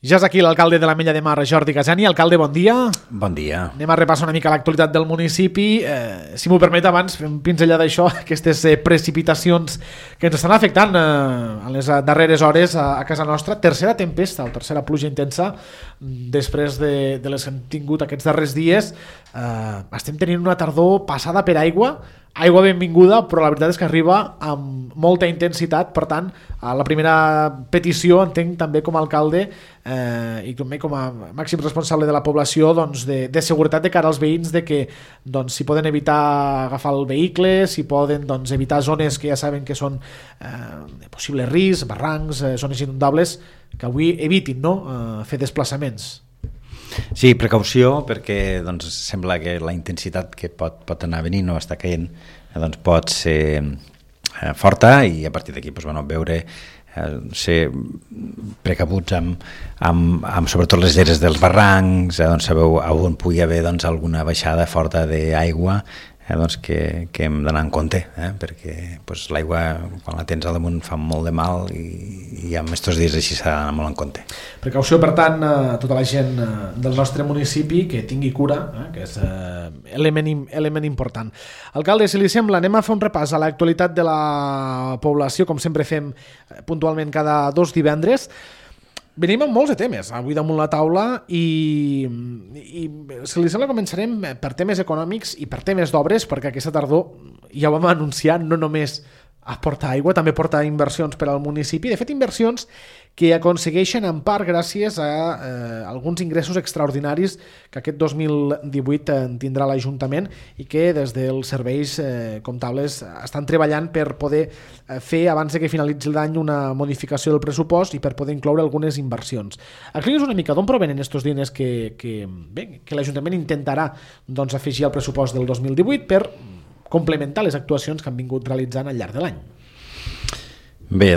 Ja és aquí l'alcalde de l'Ametlla de Mar, Jordi Casani. Alcalde, bon dia. Bon dia. Anem a repassar una mica l'actualitat del municipi. Si m'ho permet, abans fem pinzellada d'això, aquestes precipitacions que ens estan afectant en les darreres hores a casa nostra. Tercera tempesta o tercera pluja intensa després de les que hem tingut aquests darrers dies. Estem tenint una tardor passada per aigua benvinguda, però la veritat és que arriba amb molta intensitat. Per tant, la primera petició, entenc també com a alcalde i també com a màxim responsable de la població, doncs, de seguretat de cara als veïns, de que doncs, si poden evitar agafar el vehicle, si poden evitar zones que ja saben que són de possible risc, barrancs, zones inundables, que avui evitin fer desplaçaments. Sí, precaució, perquè doncs, sembla que la intensitat que pot anar venint o està caient pot ser forta, i a partir d'aquí veure, ser precabuts amb sobretot les lleres dels barrancs, sabeu on pugui haver alguna baixada forta d'aigua, que hem d'anar en compte, perquè l'aigua, quan la tens al damunt, fa molt de mal, i en aquests dies així s'ha d'anar molt en compte. Precaució, per tant, a tota la gent del nostre municipi, que tingui cura, que és element important. Alcalde, si li sembla, anem a fer un repàs a l'actualitat de la població, com sempre fem puntualment cada 2 divendres. Venim amb molts de temes avui damunt la taula i si li sembla començarem per temes econòmics i per temes d'obres, perquè aquesta tardor ja ho vam anunciar, no només aporta aigua, també porta inversions per al municipi, de fet inversions que aconsegueixen en part gràcies a alguns ingressos extraordinaris que aquest 2018 tindrà l'Ajuntament i que des dels serveis comptables estan treballant per poder fer abans de que finalitzi l'any una modificació del pressupost i per poder incloure algunes inversions. Aclareix una mica d'on provenen aquests diners que l'Ajuntament intentarà afegir al pressupost del 2018 per complementar les actuacions que han vingut realitzant al llarg de l'any. Bé,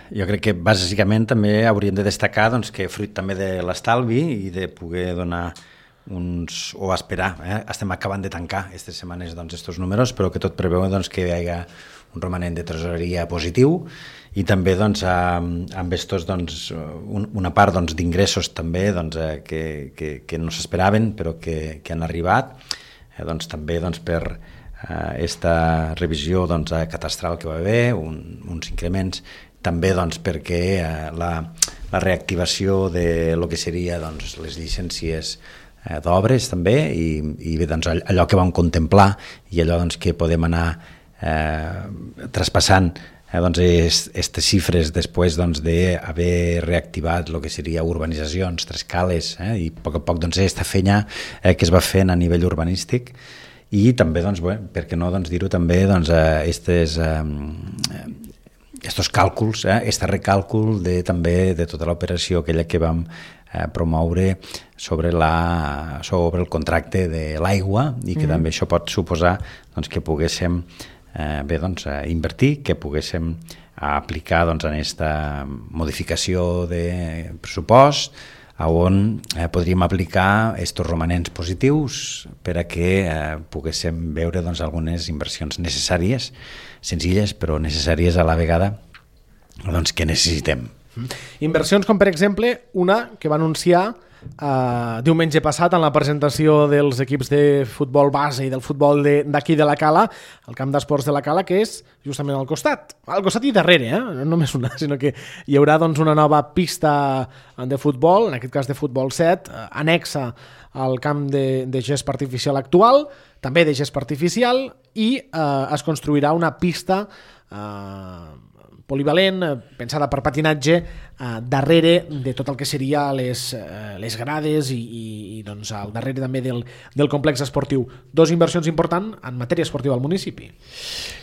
jo crec que bàsicament també hauríem de destacar que fruit també de l'estalvi i de poder donar o esperar, estem acabant de tancar aquestes setmanes estos números, però que tot preveu que hi hagi un romanent de tresoreria positiu i també amb estos una part d'ingressos també que no s'esperaven però que han arribat, també per aquesta revisió catastral que va haver, uns increments, també perquè la reactivació de lo que seria les llicències d'obres també i bé, allò que vam contemplar i allò que podem anar traspassant aquestes xifres després d'haver reactivat el que seria urbanitzacions, trescales, i a poc aquesta feina que es va fent a nivell urbanístic. I també, per què no dir-ho també, estos càlculs, este recàlcul també de tota l'operació aquella que vam promoure sobre el contracte de l'aigua i que també això pot suposar que poguéssim invertir, que poguéssim aplicar en aquesta modificació de pressupost on podríem aplicar aquests romanents positius per a que poguéssim veure algunes inversions necessàries, senzilles però necessàries a la vegada que necessitem. Inversions com, per exemple, una que va anunciar diumenge passat en la presentació dels equips de futbol base i del futbol d'aquí de la Cala, el camp d'esports de la Cala, que és justament al costat i darrere, no només una, sinó que hi haurà una nova pista de futbol, en aquest cas de futbol 7, anexa al camp de gespa artificial actual, també de gespa artificial, i es construirà una pista polivalent, pensada per patinatge, darrere de tot el que seria les grades i al darrere també del complex esportiu. 2 inversions importants en matèria esportiva al municipi.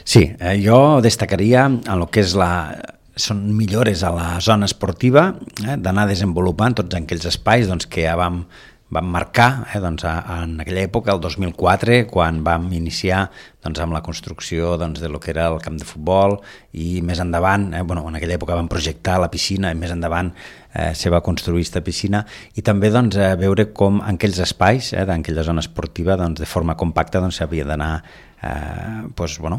Sí, jo destacaria en el que són millores a la zona esportiva, d'anar desenvolupant tots aquells espais que ja vam marcar en aquella època, el 2004, quan vam iniciar amb la construcció de lo que era el camp de futbol, i més endavant, en aquella època vam projectar la piscina, i més endavant se va construir aquesta piscina, i també veure com en aquells espais, d'aquella zona esportiva, de forma compacta s'havia d'anar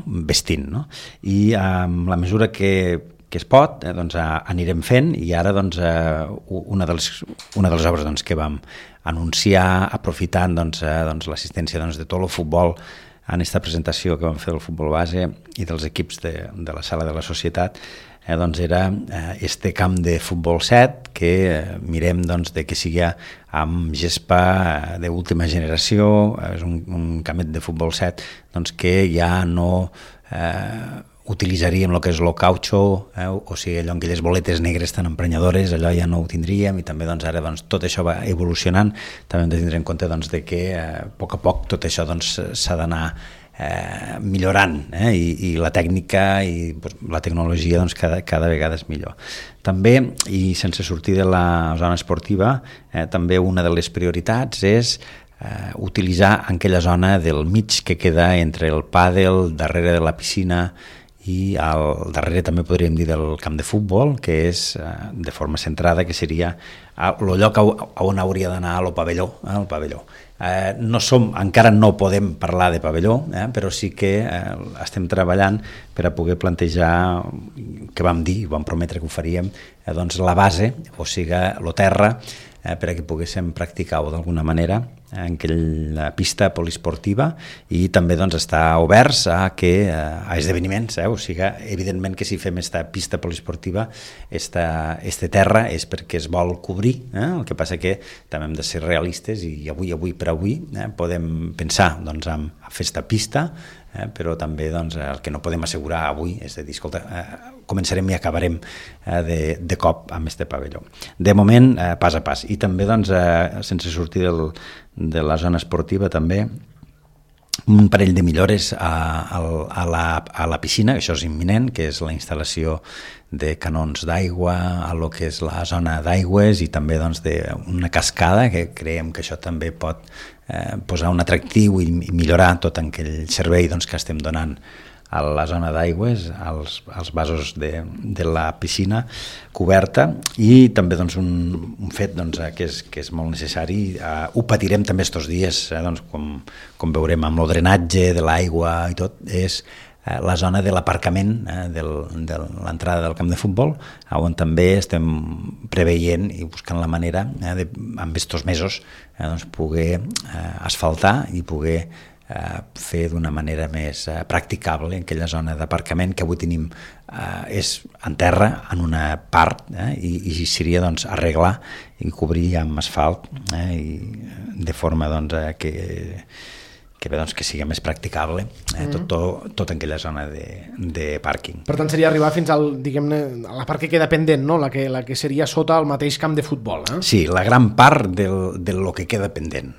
vestint, no? I amb la mesura que que es pot, doncs anirem fent, i ara doncs, una de les obres doncs, que vam anunciar aprofitant doncs, l'assistència doncs, de tot el futbol en aquesta presentació que vam fer del futbol base i dels equips de la sala de la societat, doncs era este camp de futbol 7 que mirem doncs, de que sigui amb gespa d'última generació, és un campet de futbol 7 doncs, que ja no utilitzaríem el que és el cautxo, o sigui, allò amb aquelles boletes negres tan emprenyadores, allò ja no ho tindríem, i també doncs, ara doncs, tot això va evolucionant. També hem de tindre en compte doncs, de que a poc tot això doncs, s'ha d'anar millorant, i la tècnica i la tecnologia doncs, cada vegada és millor. També, i sense sortir de la zona esportiva, també una de les prioritats és utilitzar aquella zona del mig que queda entre el pàdel, darrere de la piscina, i al darrere també podríem dir del camp de futbol, que és de forma centrada, que seria el lloc on hauria d'anar el pavelló. Encara no podem parlar de pavelló, però sí que estem treballant per a poder plantejar, que vam dir, vam prometre que ho faríem, doncs la base, o sigui, el terra, per a que poguéssim practicar-ho d'alguna manera en aquella pista poliesportiva, i també doncs, està oberts a esdeveniments, o sigui, evidentment que si fem aquesta pista poliesportiva, este terra és perquè es vol cobrir, el que passa que també hem de ser realistes, i avui per avui podem pensar doncs, en fer aquesta pista, però també doncs, el que no podem assegurar avui és de dir, escolta, començarem i acabarem de cop amb este pavelló. De moment, pas a pas. I també, doncs, sense sortir de la zona esportiva, també un parell de millores a la piscina, això és imminent, que és la instal·lació de canons d'aigua a lo que és la zona d'aigües, i també doncs, d'una cascada, que creiem que això també pot posar un atractiu i millorar tot aquell servei doncs, que estem donant a la zona d'aigües, als vasos de la piscina coberta, i també doncs, un fet doncs, que és molt necessari. Ho patirem també estos dies, doncs, com veurem amb el drenatge de l'aigua i tot, és la zona de l'aparcament de l'entrada del camp de futbol, on també estem preveient i buscant la manera amb estos mesos doncs, poder asfaltar i poder fer d'una manera més practicable aquella zona d'aparcament que avui tenim és en terra en una part, i seria doncs, arreglar i cobrir amb asfalt, i de forma doncs, que sigui més practicable tot en aquella zona de pàrquing. Per tant, seria arribar fins al, diguem-ne, a la part que queda pendent, no? La que seria sota el mateix camp de futbol. Sí, la gran part de lo que queda pendent,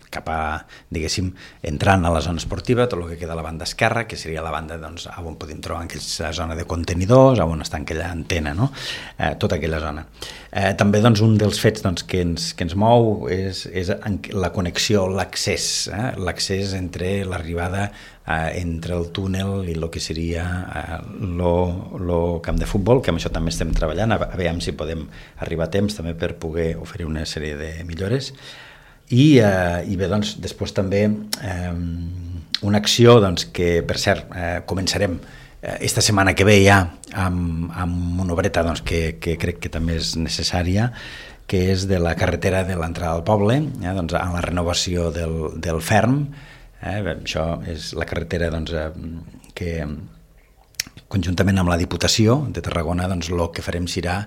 cap a, diguéssim, entrant a la zona esportiva, tot el que queda a la banda esquerra, que seria la banda doncs, on podem trobar aquella zona de contenidors, on està aquella antena, no? Tota aquella zona. També doncs, un dels fets doncs, que ens mou és la connexió, l'accés, l'accés entre l'arribada entre el túnel i el que seria el camp de futbol, que amb això també estem treballant, a veure si podem arribar a temps també per poder oferir una sèrie de millores. I bé, doncs, després també una acció doncs, que, per cert, començarem esta setmana que ve ja amb una obreta doncs, que crec que també és necessària, que és de la carretera de l'entrada al poble, doncs, en la renovació del ferm. Això és la carretera doncs, que conjuntament amb la Diputació de Tarragona doncs, el que farem serà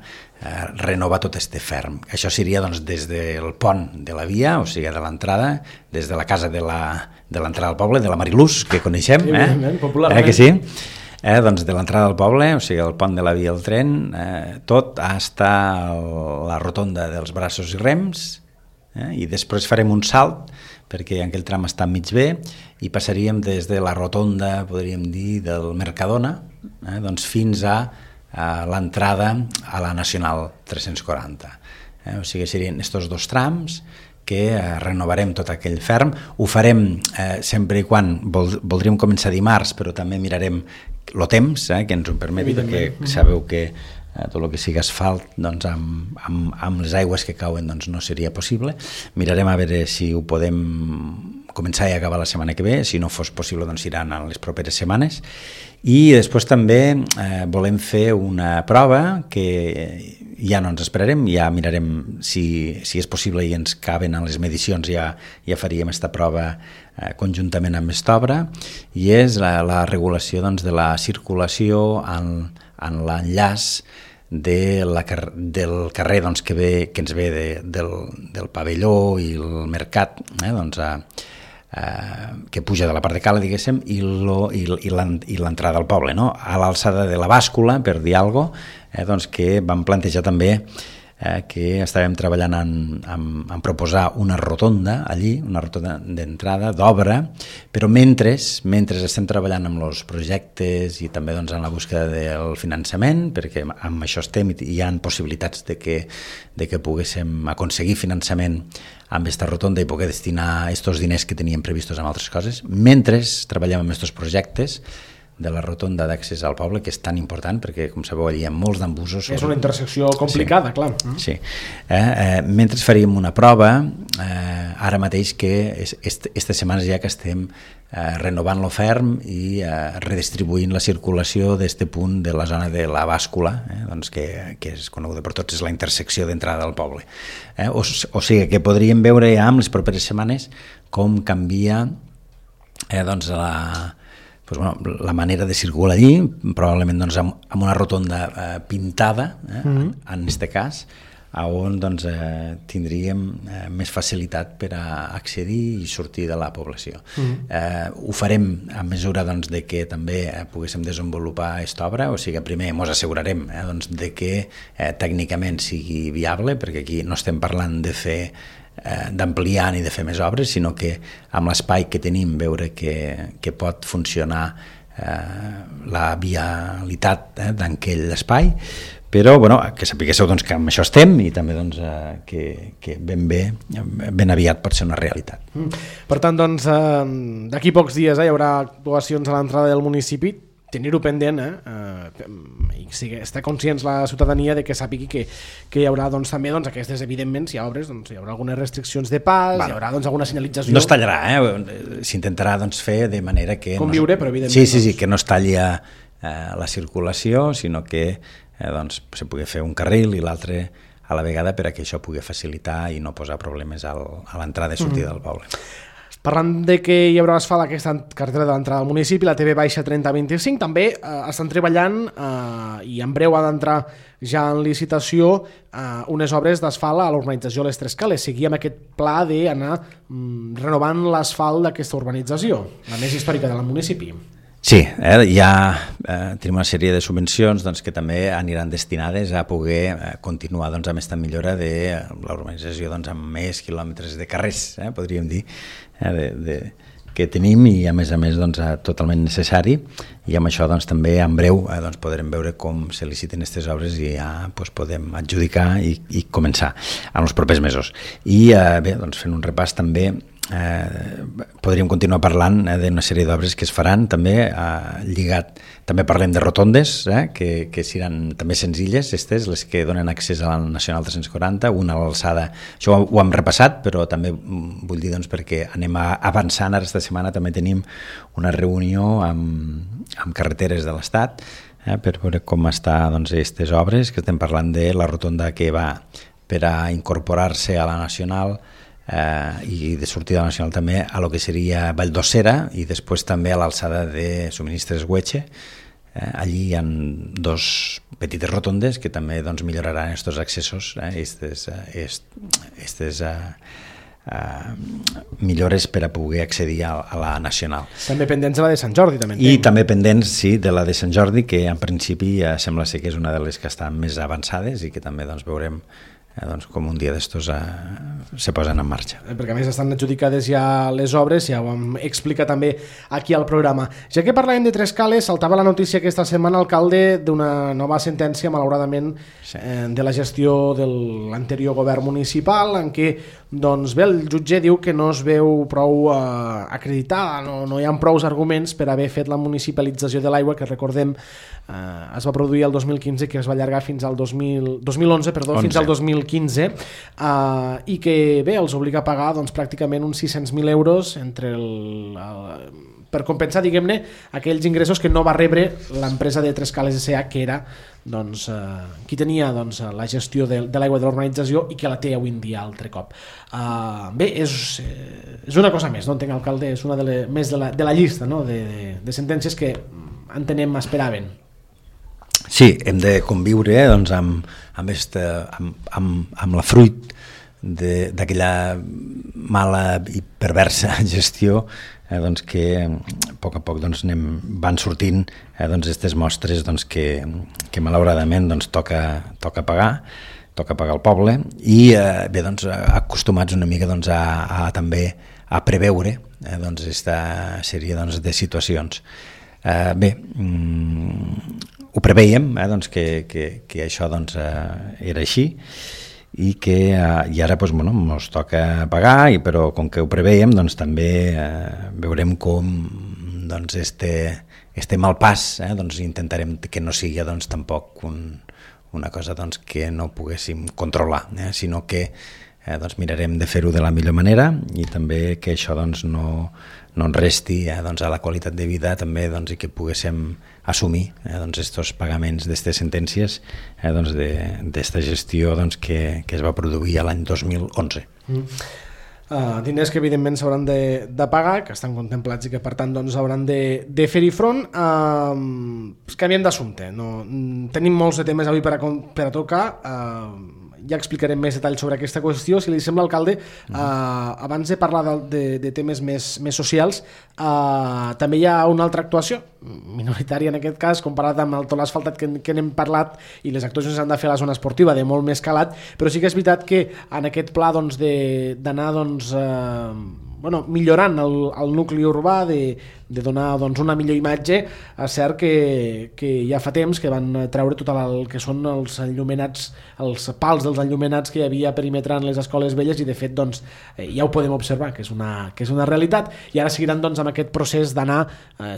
renovar tot este ferm. Això seria doncs, des del pont de la via, o sigui, de l'entrada, des de la casa de l'entrada al poble, de la Mariluz, que coneixem, popularment. Que sí? Doncs de l'entrada al poble, o sigui, el pont de la via al tren, tot està a la rotonda dels braços i rems, i després farem un salt, perquè aquell tram està mig bé, i passaríem des de la rotonda, podríem dir, del Mercadona, doncs fins a l'entrada a la Nacional 340. O sigui, serien estos dos trams que renovarem tot aquell ferm. Ho farem sempre i quan voldríem començar dimarts, però també mirarem el temps, que ens ho permeti, perquè sabeu que tot el que sigui asfalt doncs, amb les aigües que cauen doncs, no seria possible. Mirarem a veure si ho podem començar i acabar la setmana que ve, si no fos possible doncs iran en les properes setmanes, i després també volem fer una prova que ja no ens esperarem, ja mirarem si és possible i ens caben en les medicions, ja faríem aquesta prova conjuntament amb Estobra, i és la regulació doncs, de la circulació en l'enllaç del carrer doncs, que ens ve del pavelló i el mercat, doncs, que puja de la part de cala, diguéssim, i l'entrada al poble, no? A l'alçada de la bàscula, per dir alguna cosa, doncs, que vam plantejar també que estàvem treballant en proposar una rotonda allí, una rotonda d'entrada, d'obra, però mentre estem treballant amb els projectes i també doncs, en la búsqueda del finançament, perquè amb això estem i hi ha possibilitats de que poguéssim aconseguir finançament amb aquesta rotonda i poder destinar aquests diners que teníem previstos en altres coses, mentre treballem amb aquests projectes de la rotonda d'accés al poble, que és tan important, perquè, com sabeu, allà hi ha molts d'embussos. És una intersecció complicada, sí, clar. Sí. Mentre faríem una prova, ara mateix que aquestes setmanes ja que estem renovant l'oferm i redistribuint la circulació d'este punt de la zona de la bàscula, doncs que és coneguda per tots, és la intersecció d'entrada al poble. O sigui que podríem veure ja amb les properes setmanes com canvia doncs la manera de circular allí, probablement doncs, amb una rotonda pintada, en aquest cas, on doncs, tindríem més facilitat per a accedir i sortir de la població. Ho farem a mesura doncs, de que també poguéssim desenvolupar aquesta obra, o sigui, primer ens assegurarem doncs, de que tècnicament sigui viable, perquè aquí no estem parlant de fer d'ampliar ni de fer més obres, sinó que amb l'espai que tenim veure que pot funcionar la vialitat d'aquell espai, però que sapiguéssiu doncs, que amb això estem i també doncs, que ben aviat pot ser una realitat. Per tant, doncs, d'aquí pocs dies hi haurà actuacions a l'entrada del municipi, tenir-ho pendent i estar conscients la ciutadania de que sàpigui que hi haurà doncs, també doncs, aquestes, evidentment, si hi ha obres, doncs, hi haurà algunes restriccions de pas, hi haurà doncs, alguna senyalització. No es tallarà, s'intentarà doncs, fer de manera que... Conviure, però evidentment... Sí, que no es talli la circulació, sinó que doncs, se pugui fer un carril i l'altre a la vegada per a que això pugui facilitar i no posar problemes a l'entrada i sortida del poble. Parlant de que hi haurà asfalt a aquesta carretera de l'entrada al municipi, la TV-3025, també estan treballant i en breu ha d'entrar ja en licitació unes obres d'asfalt a l'urbanització Les Tres Cales. Seguíem aquest pla d'anar renovant l'asfalt d'aquesta urbanització, la més històrica del municipi. Sí, ja tenim una sèrie de subvencions doncs, que també aniran destinades a poder continuar doncs, amb aquesta millora de la urbanització doncs, amb més quilòmetres de carrers, podríem dir, que tenim i a més doncs, totalment necessari, i amb això doncs, també en breu doncs, podrem veure com se liciten aquestes obres i ja doncs, podem adjudicar i començar en els propers mesos. I bé, doncs, fent un repàs també podríem continuar parlant d'una sèrie d'obres que es faran també lligat, també parlem de rotondes que seran també senzilles, les que donen accés a la Nacional 340, una a l'alçada, això ho hem repassat, però també vull dir doncs, perquè anem avançant, ara esta setmana també tenim una reunió amb carreteres de l'Estat per veure com estan doncs, aquestes obres, que estem parlant de la rotonda que va per a incorporar-se a la Nacional i de sortida nacional també a lo que seria Vall d'Ossera i després també a l'alçada de Subministres Güeche. Allí hi ha dos petites rotondes que també doncs, milloraran aquests accessos, aquestes millores per a poder accedir a la Nacional. També pendents de la de Sant Jordi. També pendents, sí, de la de Sant Jordi, que en principi sembla ser que és una de les que estan més avançades i que també doncs, veurem doncs, com un dia d'estos se posen en marxa. Perquè a més estan adjudicades ja les obres, ja ho hem explicat també aquí al programa. Ja que parlàvem de Tres Cales, saltava la notícia aquesta setmana, alcalde, d'una nova sentència, malauradament, de la gestió de l'anterior govern municipal, en què doncs, bé, el jutge diu que no es veu prou acreditada, no hi ha prou arguments per haver fet la municipalització de l'aigua, que recordem es va produir el 2015, que es va allargar fins al 2011, fins al 2015, i que bé, els obliga a pagar doncs, pràcticament uns 600.000 euros per compensar, diguem-ne, aquells ingressos que no va rebre l'empresa de Trescales S.A., que era doncs, qui tenia doncs, la gestió de l'aigua de l'urbanització i que la té avui en dia altre cop. Bé, és una cosa més, no entenc, alcalde, és una més de la llista, no? de sentències que entenem esperaven. Sí, hem de conviure doncs, amb la fruit d'aquella mala i perversa gestió doncs que a poc doncs, van sortint aquestes mostres doncs, que malauradament doncs, toca pagar al poble i bé, doncs, acostumats una mica doncs, també a preveure doncs, aquesta sèrie doncs, de situacions. Bé, ho preveiem doncs, que això doncs, era així i ara doncs, bueno, ens toca pagar, però com que ho preveiem doncs, també veurem com doncs, este mal pas doncs, intentarem que no sigui doncs, tampoc una cosa doncs, que no poguéssim controlar, sinó que doncs, mirarem de fer-ho de la millor manera i també que això doncs, no ens resti doncs, a la qualitat de vida també, doncs, i que poguéssim assumir estos pagaments d'aquestes sentències doncs, d'esta gestió doncs, que es va produir l'any 2011. Diners que evidentment s'hauran de pagar, que estan contemplats i que per tant doncs, hauran de fer-hi front. Canviem d'assumpte, tenim molts de temes avui per a tocar, ja explicarem més detalls sobre aquesta qüestió. Si li sembla, alcalde, abans de parlar de temes més socials, també hi ha una altra actuació minoritària en aquest cas, comparat amb tot l'asfaltat que n'hem parlat, i les actuacions s'han de fer a la zona esportiva de molt més calat, però sí que és veritat que en aquest pla doncs, d'anar doncs, millorant el nucli urbà, de donar doncs, una millor imatge. És cert que ja fa temps que van treure tot el que són els enllumenats, els pals dels enllumenats que hi havia perimetrant les escoles velles, i de fet doncs, ja ho podem observar que és una realitat, i ara seguiran doncs, amb aquest procés d'anar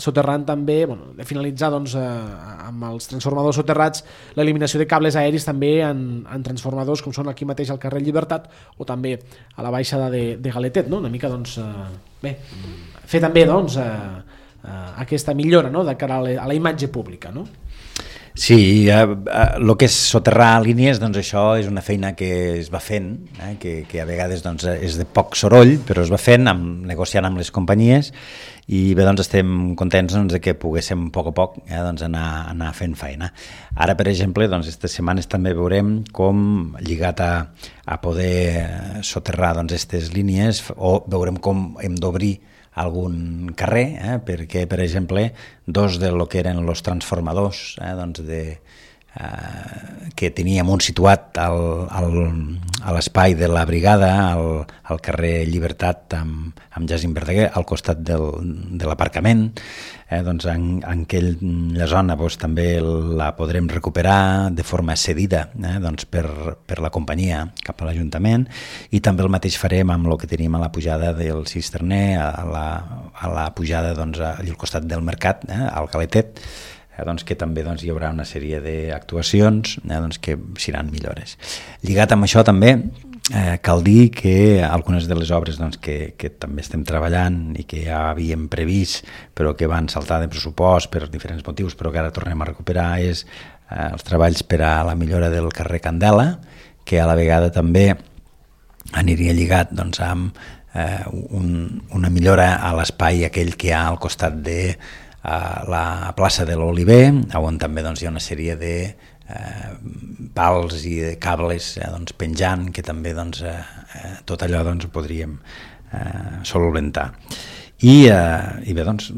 soterrant també, de finalitzar doncs, amb els transformadors soterrats l'eliminació de cables aeris també en transformadors com són aquí mateix al carrer Llibertat o també a la baixada de Galetet, no? Una mica doncs, bé, fer també doncs, aquesta millora, no? De cara a la imatge pública, no? Sí, el que és soterrar línies, doncs això és una feina que es va fent, que a vegades doncs, és de poc soroll, però es va fent, negociant amb les companyies, i bé, doncs estem contents doncs, que poguéssim a poc doncs, anar fent feina. Ara, per exemple, doncs, aquestes setmanes també veurem com, lligat a poder soterrar doncs, aquestes línies, o veurem com hem d'obrir algun carrer, perquè, per exemple, dos de lo que eren els transformadors doncs que teníem un situat a l'espai de la brigada, al carrer Llibertat amb Jacint Verdaguer, al costat de l'aparcament, doncs en aquella zona doncs, també la podrem recuperar de forma cedida doncs, per la companyia cap a l'Ajuntament, i també el mateix farem amb el que tenim a la pujada del Cisterner, a la pujada doncs, al costat del Mercat, al Galetet, doncs, que també doncs, hi haurà una sèrie d'actuacions doncs, que seran millores. Lligat amb això també cal dir que algunes de les obres doncs, que també estem treballant i que ja havíem previst però que van saltar de pressupost per diferents motius però que ara tornem a recuperar és els treballs per a la millora del carrer Candela, que a la vegada també aniria lligat doncs, amb una millora a l'espai aquell que hi ha al costat de la plaça de l'Oliver, on també doncs, hi ha una sèrie de pals i de cables doncs, penjant, que també doncs, tot allò doncs, ho podríem solventar. I bé, doncs,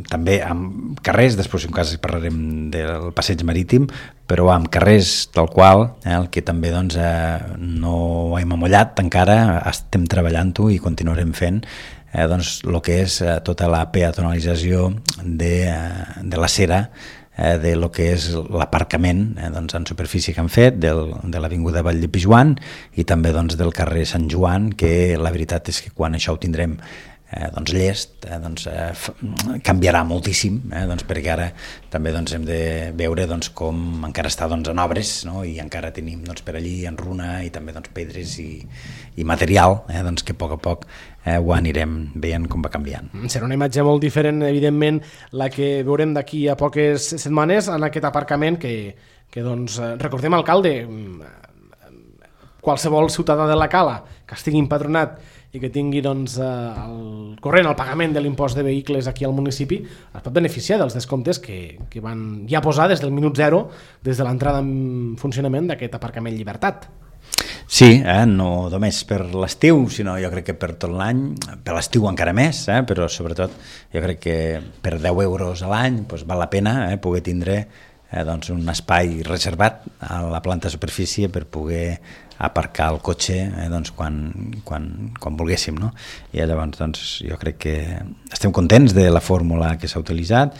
també amb carrers, després en cas parlarem del passeig marítim, però amb carrers tal qual, el que també doncs, no hem amollat encara, estem treballant-ho i continuarem fent, doncs, el que és tota la peatonalització de la cera de lo que és l'aparcament doncs, en superfície que han fet de l'avinguda Vall de Pijuan i també doncs, del carrer Sant Joan, que la veritat és que quan això ho tindrem doncs llest, canviarà moltíssim, doncs perquè ara també hem de veure com encara està en obres, no? I encara tenim per allí en runa i també pedres i material, que a poc ho anirem veient com va canviant. Serà una imatge molt diferent, evidentment, la que veurem d'aquí a poques setmanes en aquest aparcament que recordem, alcalde, qualsevol ciutadà de la Cala que estigui empadronat i que tingui el corrent, el pagament de l'impost de vehicles aquí al municipi, es pot beneficiar dels descomptes que van ja posar des del minut zero, des de l'entrada en funcionament d'aquest aparcament Llibertat. Sí, no només per l'estiu, sinó jo crec que per tot l'any, per l'estiu encara més, però sobretot jo crec que per 10 euros a l'any val la pena poder tindre un espai reservat a la planta superfície per poder aparcar el cotxe quan volguéssim, no? I llavors jo crec que estem contents de la fórmula que s'ha utilitzat.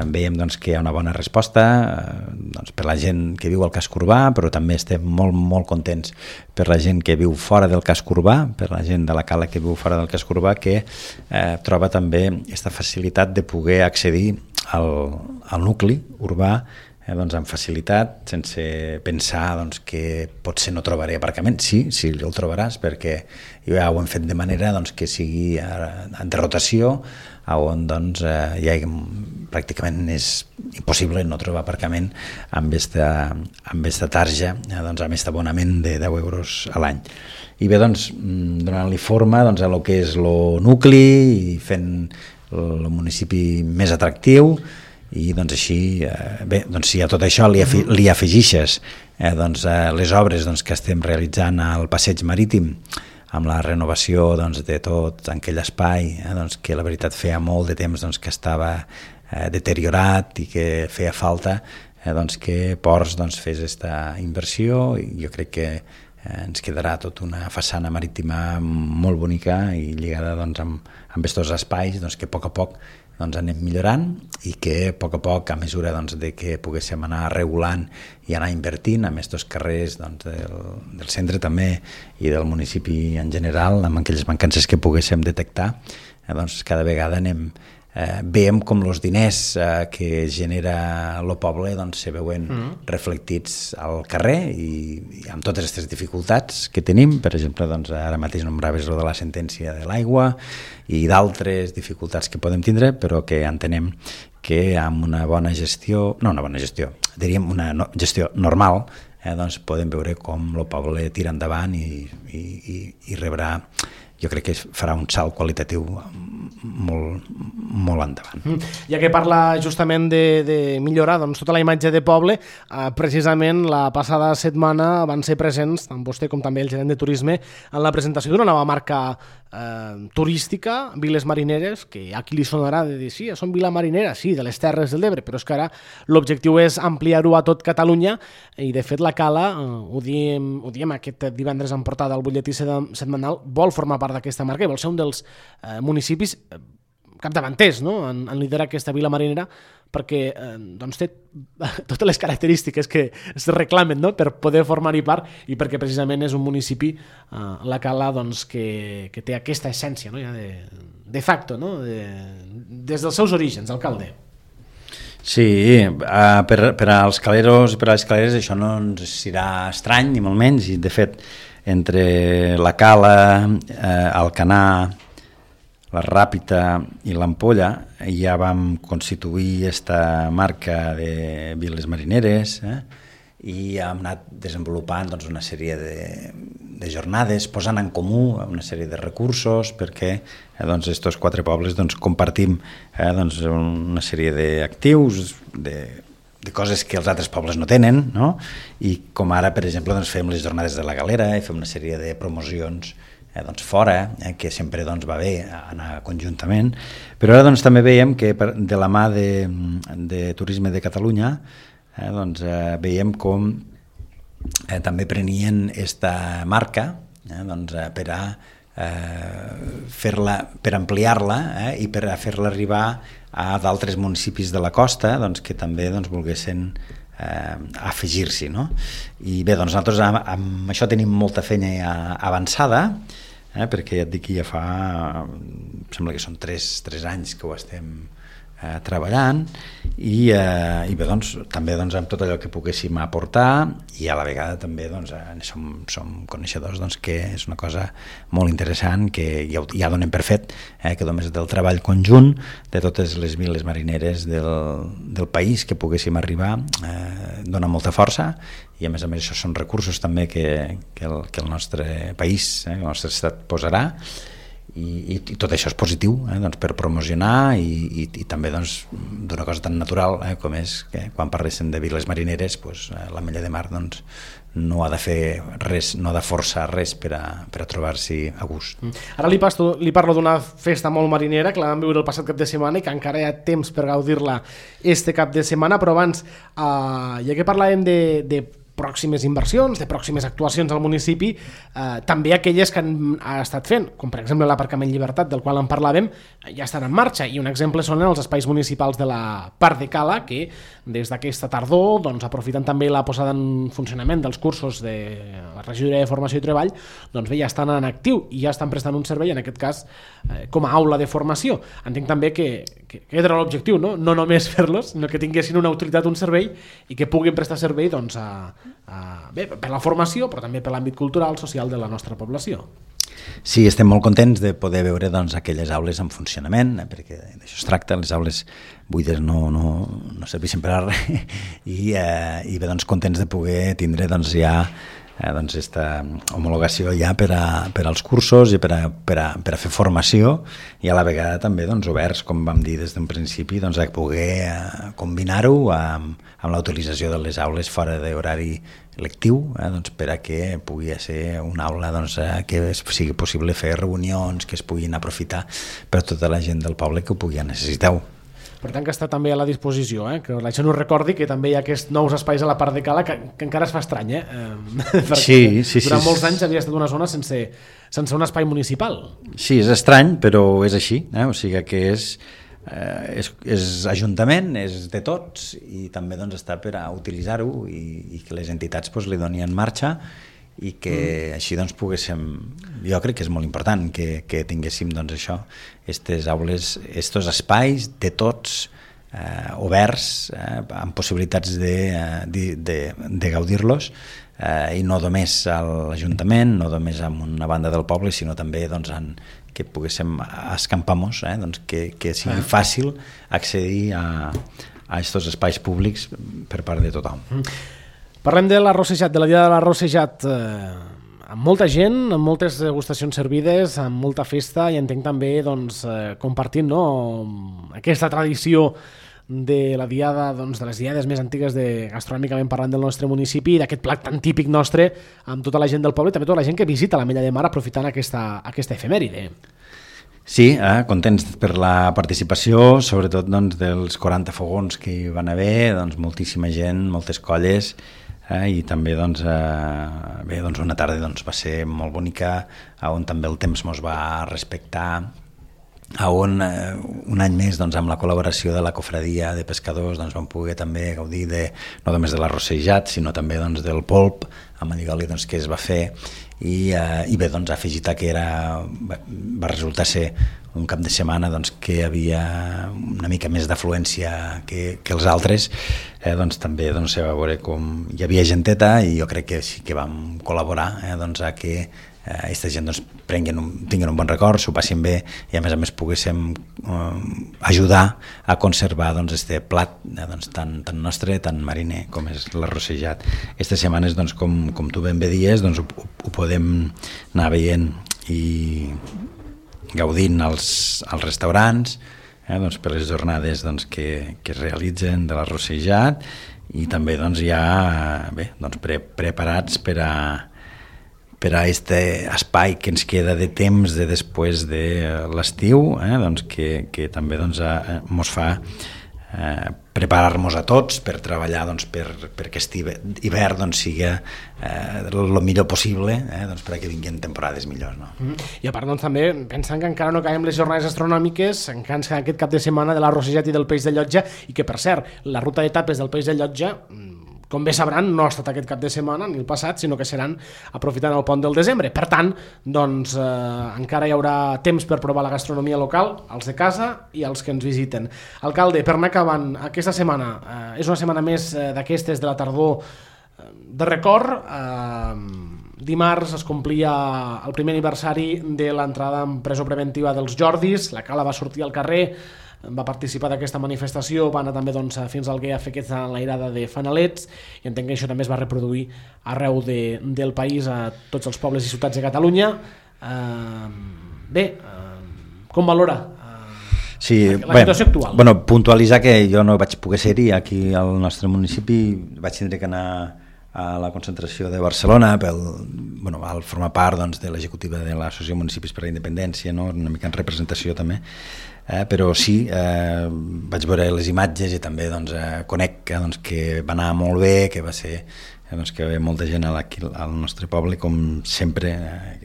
Veiem que hi ha una bona resposta per la gent que viu al casc urbà, però també estem molt contents per la gent que viu fora del casc urbà, per la gent de la Cala que viu fora del casc urbà, que troba també aquesta facilitat de poder accedir al nucli urbà amb facilitat, sense pensar que potser no trobaré aparcament. Sí el trobaràs, perquè ja ho hem fet de manera que sigui de rotació, on pràcticament és impossible no trobar aparcament amb esta tarja, amb aquest abonament de 10 euros a l'any. I bé, donant-li forma a el que és el nucli i fent el municipi més atractiu, i així, si a tot això li afegixes les obres que estem realitzant al passeig marítim, amb la renovació de tot aquell espai que la veritat feia molt de temps que estava deteriorat i que feia falta que Ports fes aquesta inversió, i jo crec que ens quedarà tota una façana marítima molt bonica i lligada amb aquests espais que a poc anem millorant, i que a poc, a mesura de que poguéssim anar regulant i anar invertint en aquests carrers del centre també i del municipi en general, amb aquelles mancances que poguéssim detectar, cada vegada veiem com els diners que genera el poble se veuen reflectits al carrer, i amb totes aquestes dificultats que tenim. Per exemple, ara mateix nombraves de la sentència de l'aigua i d'altres dificultats que podem tindre, però que entenem que amb una bona gestió, diríem una gestió normal, podem veure com el poble tira endavant i rebrà, jo crec que farà un salt qualitatiu molt endavant. Ja que parla justament de millorar tota la imatge de poble, precisament la passada setmana van ser presents tant vostè com també el gerent de turisme en la presentació d'una nova marca turística, Viles Marineres, que a qui li sonarà de dir, sí, són Vila Marinera, sí, de les Terres de l'Ebre, però és que ara l'objectiu és ampliar-ho a tot Catalunya, i de fet la Cala, ho diem aquest divendres en portada al butlletí setmanal, vol formar part d'aquesta marca i vol ser un dels municipis capdavanters, no?, en liderar aquesta Vila Marinera, perquè té totes les característiques que es reclamen, no?, per poder formar-hi part, i perquè precisament és un municipi, la Cala, que té aquesta essència, no?, ja de facto, no?, des dels seus orígens, alcalde. Sí, per als caleros i per a les caleres això no ens serà estrany, ni molt menys, i de fet entre la Cala, Alcanar, la Ràpita i l'Ampolla ja vam constituir aquesta marca de Viles Marineres, i hem anat desenvolupant una sèrie de jornades, posant en comú una sèrie de recursos, perquè estos 4 pobles compartim una sèrie d'actius, de coses que els altres pobles no tenen, no? I com ara, per exemple, fem les jornades de la Galera i fem una sèrie de promocions fora, que sempre va bé anar conjuntament, però ara també veiem que de la mà de Turisme de Catalunya veiem com també prenien aquesta marca per a per ampliar-la i per a fer-la arribar a d'altres municipis de la costa que també volguessin afegir-s'hi, no? I bé, nosaltres amb això tenim molta feina ja avançada, perquè ja et dic que ja fa, sembla que són 3 anys que ho estem treballant i bé, doncs, també doncs, amb tot allò que poguéssim aportar i a la vegada també doncs, som coneixedors doncs, que és una cosa molt interessant que ja donem per fet que només del treball conjunt de totes les viles marineres del país que poguéssim arribar dona molta força i a més això són recursos també que el nostre país, el nostre estat posarà i tot això és positiu doncs, per promocionar i també doncs, d'una cosa tan natural com és que quan parléssim de viles marineres doncs, la Mella de Mar doncs, no ha de fer res, no ha de forçar res per a trobar-s'hi a gust. Ara li parlo d'una festa molt marinera que la vam viure el passat cap de setmana i que encara hi ha temps per gaudir-la este cap de setmana, però abans ja que parlàvem de pròximes inversions, de pròximes actuacions al municipi, també aquelles que han estat fent, com per exemple l'aparcament Llibertat, del qual en parlàvem, ja estan en marxa, i un exemple són els espais municipals de la Part de Cala, que des d'aquesta tardor, doncs, aprofitant també la posada en funcionament dels cursos de la regidoria de Formació i Treball, doncs bé, ja estan en actiu i ja estan prestant un servei, en aquest cas, com a aula de formació. Entenc també que era l'objectiu, no només fer-los, sinó que tinguessin una utilitat, un servei, i que puguin prestar servei doncs, bé, per la formació, però també per l'àmbit cultural, social de la nostra població. Sí, estem molt contents de poder veure doncs, aquelles aules en funcionament, perquè d'això es tracta, les aules buides no serveixen per a res, i bé, doncs, contents de poder tindre doncs, ja doncs, esta homologació ja per als cursos i per a fer formació i a la vegada també doncs, oberts, com vam dir des d'un principi, doncs, a poder combinar-ho amb la utilització de les aules fora d'horari lectiu, doncs, per a que pugui ser una aula doncs, que sigui possible fer reunions, que es puguin aprofitar per tota la gent del poble que ho pugui necessitar. Per tant, que està també a la disposició, que la gent ho recordi, que també hi ha aquests nous espais a la Part de Cala que encara es fa estrany, perquè durant molts anys havia estat una zona sense un espai municipal. Sí, és estrany, però és així, o sigui que és ajuntament, és de tots i també doncs, està per a utilitzar-ho i que les entitats doncs, li donin marxa i que així doncs, poguéssim, jo crec que és molt important que tinguéssim doncs, això, aquestes aules, aquests espais de tots oberts, amb possibilitats de gaudir-los i no només a l'Ajuntament, no només amb una banda del poble, sinó també doncs, que poguéssim escampar-nos, doncs, que sigui fàcil accedir a aquests espais públics per part de tothom. Parlem de l'arrossejat, de la Diada de l'arrossejat, amb molta gent, amb moltes degustacions servides, amb molta festa, i entenc també doncs, compartint aquesta tradició de la diada, doncs, de les diades més antigues gastronòmicament parlant del nostre municipi, d'aquest plat tan típic nostre, amb tota la gent del poble i també tota la gent que visita la Mella de Mar aprofitant aquesta efemèride. Sí, contents per la participació, sobretot doncs, dels 40 fogons que hi van haver, doncs, moltíssima gent, moltes colles, i també doncs, bé, doncs una tarda doncs, va ser molt bonica, on també el temps ens va respectar, on un any més doncs, amb la col·laboració de la cofradia de pescadors doncs, vam poder també gaudir no només de l'arrossejat sinó també doncs, del polp amb allioli doncs, que es va fer i bé, doncs, afegit que va resultar ser un cap de setmana doncs, que hi havia una mica més d'afluència que els altres, doncs, també doncs, se va veure com hi havia genteta i jo crec que sí que vam col·laborar doncs, a que aquesta gent doncs, tinguin un bon record, s'ho passin bé i a més poguéssim ajudar a conservar doncs, este plat doncs, tan nostre, tan mariner com és l'arrossejat. Aquestes setmanes, doncs, com tu ben bé dies, doncs, ho podem anar veient i gaudint als restaurants doncs, per les jornades doncs, que es realitzen de l'arrossejat i també doncs, ja doncs, preparats per a aquest espai que ens queda de temps de després de l'estiu, doncs que també doncs, ens fa preparar-nos a tots per treballar doncs, per aquest hivern doncs, sigui el millor possible doncs, perquè vinguin temporades millors. No? I a part doncs, també pensant que encara no acabem les jornades astronòmiques, encara ens queda aquest cap de setmana de l'arrossejat i del peix de Llotja i que per cert, la ruta d'etapes del peix de Llotja com bé sabran, no ha estat aquest cap de setmana ni el passat, sinó que seran aprofitant el pont del desembre. Per tant, doncs, encara hi haurà temps per provar la gastronomia local, als de casa i als que ens visiten. Alcalde, per anar acabant, aquesta setmana és una setmana més d'aquestes de la tardor de record. Dimarts es complia el primer aniversari de l'entrada en presó preventiva dels Jordis. La Cala va sortir al carrer, va participar d'aquesta manifestació, va anar també fins al Guia a fer aquesta enlairada de fanalets, i entenc que això també es va reproduir arreu del país, a tots els pobles i ciutats de Catalunya. Com valora la situació actual? Bueno, puntualitzar que jo no vaig poder ser-hi aquí al nostre municipi, vaig tindre que anar a la concentració de Barcelona al formar part de l'executiva de l'Associació de Municipis per la Independència, una mica en representació també, però sí, vaig veure les imatges i també conec que va anar molt bé, que va ser que hi havia molta gent al nostre poble, com sempre.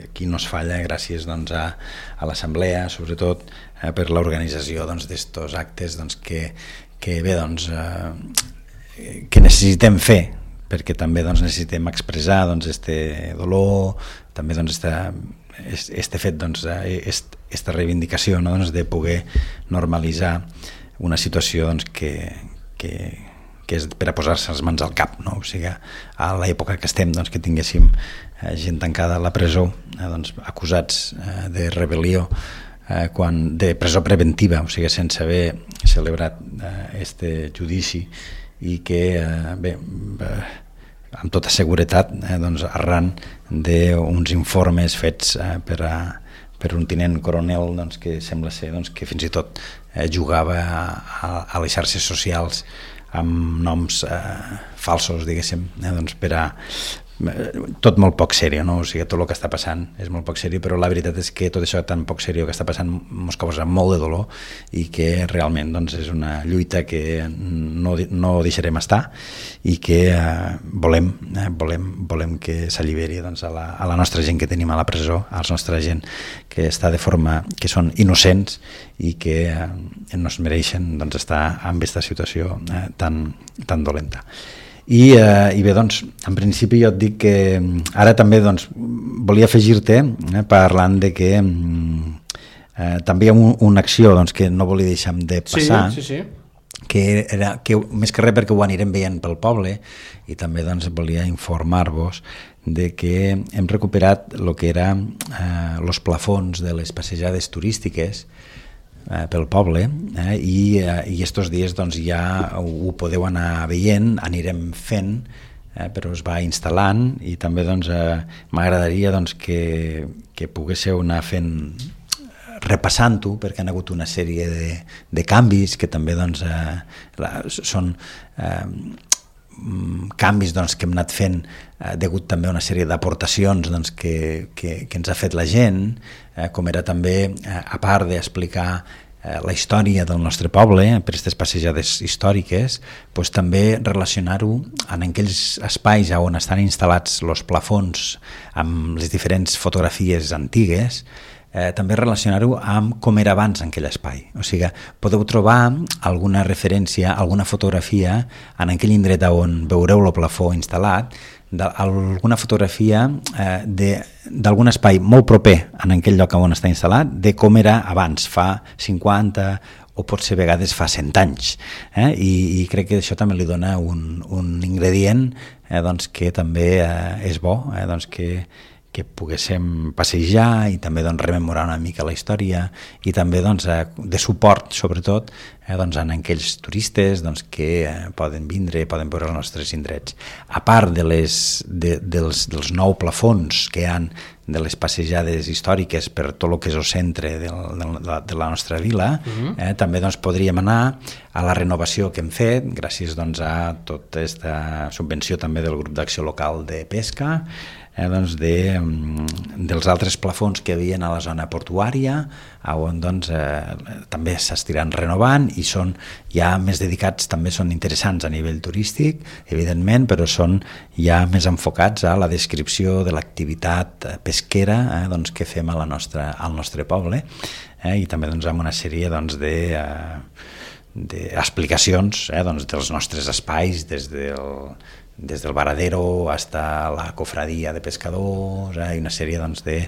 Aquí no es falla, gràcies a l'assemblea, sobretot per l'organització d'estos actes que necessitem fer, perquè també necessitem expressar este dolor, també este fet, esta reivindicació de poder normalitzar una situació que és per a posar-se les mans al cap, no? O sigui, a l'època que estem, que tinguéssim gent tancada a la presó, acusats de rebel·lió, de presó preventiva, o sigui, sense haver celebrat este judici, i que amb tota seguretat arran d'uns informes fets per un tinent coronel que sembla ser que fins i tot jugava a les xarxes socials amb noms falsos, diguéssim, per a tot molt poc seriós, no? O sigui, tot el que està passant és molt poc seriós, però la veritat és que tot això tan poc seriós que està passant ens causa molt de dolor, i que realment és una lluita que no deixarem estar, i que volem que s'alliberi a la nostra gent que tenim a la presó, a la nostra gent que està de forma que són innocents i que no es mereixen estar en aquesta situació tan dolenta. I bé, en principi jo et dic que ara també volia afegir-te parlant de que també hi ha una acció que no volia deixar de passar, sí. que més que res perquè ho anirem veient pel poble, i també volia informar-vos de que hem recuperat el que eren els plafons de les passejades turístiques pel poble, i estos dies ja ho podeu anar veient, anirem fent, però es va instal·lant, i també m'agradaria que poguéssiu anar fent, repassant-ho, perquè han hagut una sèrie de canvis que també són canvis que hem anat fent degut també a una sèrie d'aportacions que ens ha fet la gent, com era també, a part d'explicar la història del nostre poble per aquestes passejades històriques, també relacionar-ho en aquells espais on estan instal·lats els plafons amb les diferents fotografies antigues, també relacionar-ho amb com era abans en aquell espai. O sigui, podeu trobar alguna referència, alguna fotografia en aquell indret on veureu el plafó instal·lat, alguna fotografia d'algun espai molt proper en aquell lloc on està instal·lat, de com era abans, fa 50 o potser a vegades fa 100 anys. I crec que això també li dona un ingredient que també és bo, que poguéssim passejar i també rememorar una mica la història, i també de suport, sobretot, en aquells turistes que poden vindre, poden veure els nostres indrets. A part dels 9 plafons que hi ha de les passejades històriques per tot el que és el centre de la nostra vila, també podríem anar a la renovació que hem fet, gràcies a tota aquesta subvenció també del grup d'acció local de pesca, dels altres plafons que hi havia a la zona portuària, on també s'estiran renovant, i són ja més dedicats, també són interessants a nivell turístic, evidentment, però són ja més enfocats a la descripció de l'activitat pesquera que fem al nostre poble, i també amb una sèrie d'explicacions dels nostres espais, des del des del Varadero hasta la cofradia de pescadors, i una sèrie doncs, de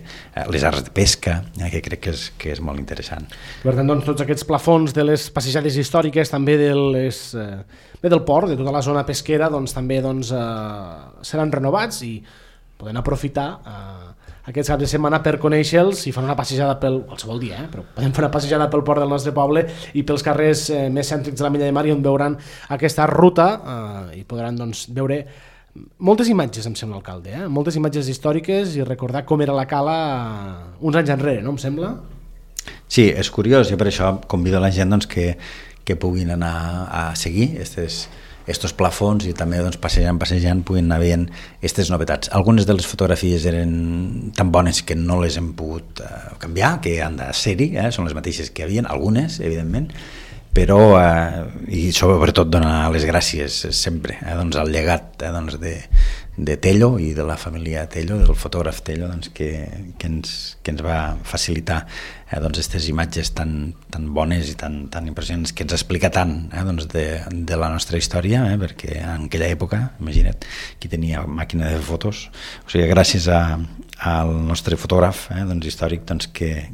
les arts de pesca, que crec que és molt interessant. Per tant, doncs, tots aquests plafons de les passejades històriques, també del port, de tota la zona pesquera, doncs, també seran renovats i poden aprofitar aquests caps de setmana per conèixer-los i fan una passejada qualsevol dia, però podem fer una passejada pel port del nostre poble i pels carrers més cèntrics de la Milla de Mar, on veuran aquesta ruta i podran veure moltes imatges, em sembla, alcalde, moltes imatges històriques i recordar com era la cala uns anys enrere, no em sembla? Sí, és curiós, i per això convido la gent que puguin anar a seguir estos plafons i també passejant puguin anar veient aquestes novetats. Algunes de les fotografies eren tan bones que no les hem pogut canviar, que han de ser-hi, són les mateixes que hi havia, algunes, evidentment, però, i sobretot donar les gràcies sempre al llegat de Tello i de la família Tello, del fotògraf Tello, que ens va facilitar aquestes imatges tan bones i tan impressionants, que ens explica tant de la nostra història, perquè en aquella època, imagina't, qui tenia màquina de fotos, o sigui, gràcies al nostre fotògraf històric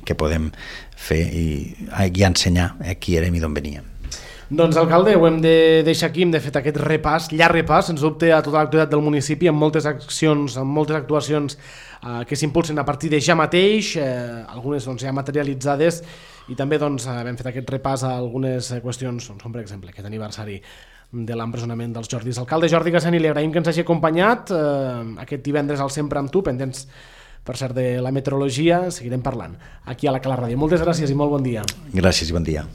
que podem fer i ensenyar qui érem i d'on veníem. Doncs, alcalde, ho hem de deixar aquí, hem de fer aquest repàs, llarg repàs, sens dubte, a tota l'actualitat del municipi, amb moltes accions, amb moltes actuacions que s'impulsen a partir de ja mateix, algunes ja materialitzades, i també hem fet aquest repàs a algunes qüestions, com per exemple aquest aniversari de l'empresonament dels Jordis. Alcalde Jordi Gassani, li agraïm que ens hagi acompanyat aquest divendres al Sempre amb tu, pendents, per cert, de la meteorologia, seguirem parlant aquí a la Cala Ràdio. Moltes gràcies i molt bon dia. Gràcies i bon dia.